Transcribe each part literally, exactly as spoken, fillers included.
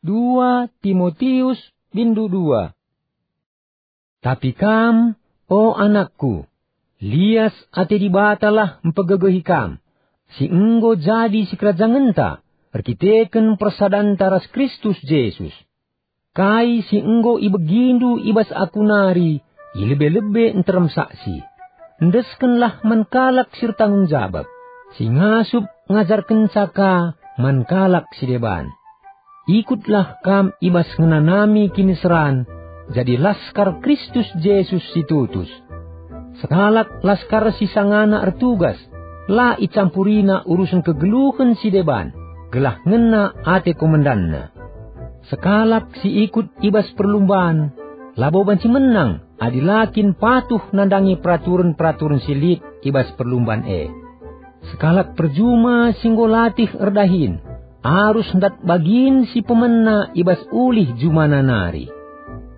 Dua Timotius bindu dua. Tapi kam, o anakku, lias ate Dibatalah mpegegehi kam, si enggo jadi sikerajangenta erkiteken persadanta ras Kristus Jesus. Kai si enggo ibegindu i bas aku nari, i lebe-lebe nterem saksi. Endeskenlah man kalak si ertanggung jabap, si ngasup ngajarkenca ka man kalak si deban. Ikutlah kam i bas ngenanami kiniseran, jadi laskar Kristus Jesus si tutus. Sekalak laskar si sangana ertugas, la icampurina urusen kegeluhen si deban, gelah ngena ate komandanna. Sekalak si ikut i bas perlumban, labo banci menang adi la kin patuh nandangi peraturen-peraturen si lit i bas perlumban e. Sekalak perjuma si enggo latih erdahin, arus ndat bagin si pemena i bas ulih jumana nari.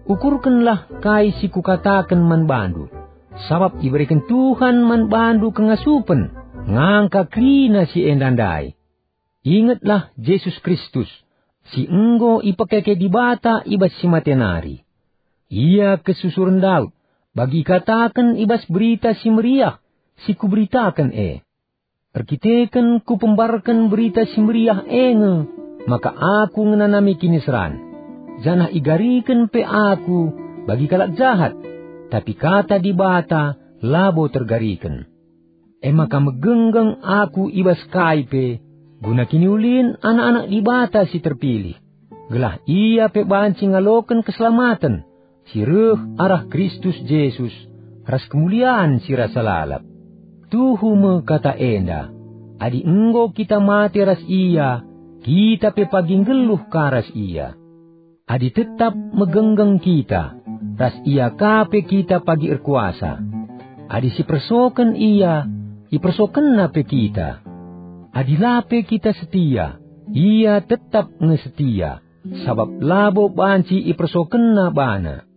Ukurkenlah kai si kukataken man bandu, sabap ibereken Tuhan man bandu kengasupen ngangka kerina si enda ndai. Ingetlah Jesus Kristus, si enggo ipekeke Dibata i bas si mate nari. Ia kesusuren Daud, bagi ikataken i bas Berita Si Meriah si kuberitaken e. Erkiteken kupembarken Berita Si Meriah e nge, maka aku ngenanami kiniseran, janah igariken pe aku bagi kalak jahat, tapi kata Dibata labo tergariken. E maka megenggeng aku i bas kai pe guna kiniulin anak-anak Dibata si terpilih, gelah ia pe banci ngaloken keselamaten si reh arah Kristus Jesus ras kemulian si rasa lalap. Tuhu me kata enda, adi enggo kita mate ras ia, kita pe pagi nggeluh ka ras ia. Adi tetap megenggeng kita, ras ia ka pe kita pagi erkuasa. Adi sipersoken ia, ipersokenna pe kita. Adi la pe kita setia, ia tetap nge setia, sabap labo banci ipersokenna bana.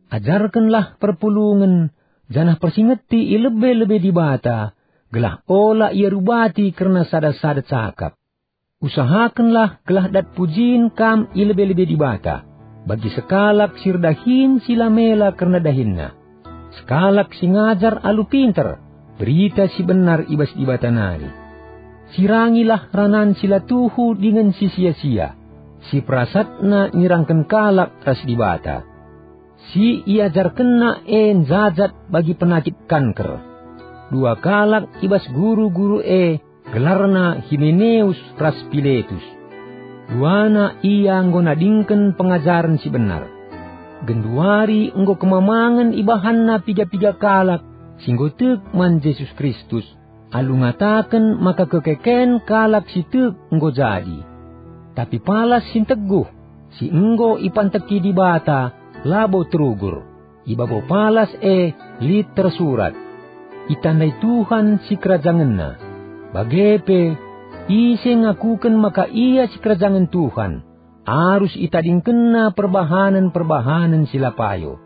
Ajarkenlah perpulungen, janah persingeti i lebe-lebe Dibata, gelah ola ia rubati kerna sada-sada cakap. Usahakenlah gelah dat pujin kam i lebe-lebe Dibata, bagi sekalak si erdahin si la mela kerna dahinna, sekalak si ngajar alu pinter Berita Si Benar i bas Dibata nari. Sirangilah ranan si la tuhu dingen si sia-sia, si perasatna nyerangken kalak ras Dibata. Si iajarkenna e njajat bagi penakit kanker. Dua kalak i bas guru-guru e, gelarna Himeneus ras Piletus. Duana ia enggo nadingken pengajaren si benar. Genduari enggo kemamangen ibahanna piga-piga kalak si enggo tek man Jesus Kristus, alu ngataken maka kekeken kalak si tek enggo jadi. Tapi palas si nteguh, si enggo ipanteki Dibata, labo terugur. I babo palas e lit tersurat, "Itandai Tuhan sikerajangenna." Bage pe, ise ngakuken maka ia sikerajangen Tuhan, arus itadingkenna perbahanen-perbahanen si la payo.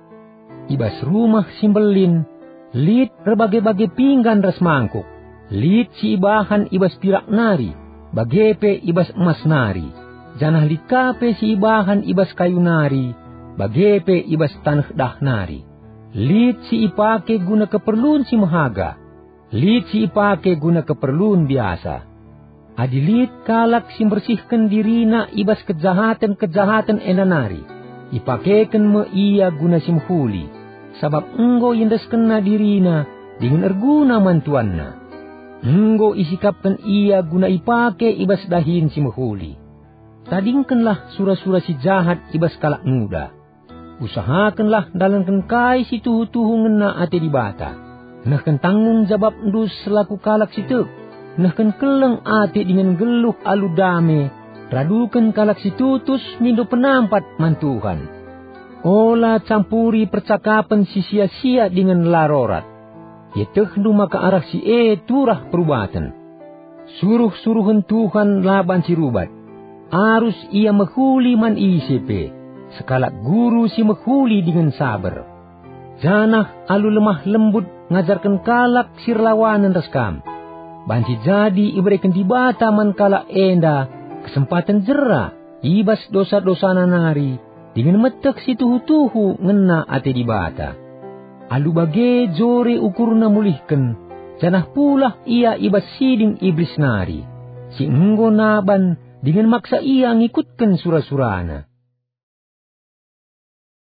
I bas rumah si mbelin lit erbage-bage pinggan ras mangkuk, lit si ibahan i bas pirak nari, bage pe i bas emas nari, janah lit ka pe si ibahan i bas kayu nari, bage pe i bas taneh dah nari. Lit si ipake guna keperlun si mehaga, lit si ipake guna keperlun biasa. Adi lit kalak si mbersihken dirina i bas kejahaten-kejahaten enda nari, ipakeken me ia guna si mehuli, sabap enggo iendeskenna dirina dingen erguna man tuanna. Enggo isikapken ia guna ipake i bas dahin si mehuli. Tadingkenlah sura-sura si jahat i bas kalak nguda. Usahakenlah ndalanken kai si tuhu-tuhu ngena ate Dibata. Nehken tanggung jabapndu selaku kalak si tek, nehken keleng ate dingen nggeluh alu dame, raduken kalak si tutus mindo penampat man Tuhan. Ola campuri percakapen si sia-sia dingen la rorat. Ietehndu maka arah si e turah perubaten. Suruh-suruhen Tuhan la banci rubat. Arus ia mehuli man ise pe, sekalak guru si mehuli dingen saber. Janah alu lemah lembut ngajarken kalak si erlawanen ras kam. Banci jadi ibereken Dibata man kalak enda kesempaten jera i bas dosa-dosana nari, dingen meteh si tuhu-tuhu ngena ate Dibata. Alu bage jore ukurna mulihken, janah pulah ia i bas siding Iblis nari, si enggo naban dingen maksa ia ngikutken sura-surana.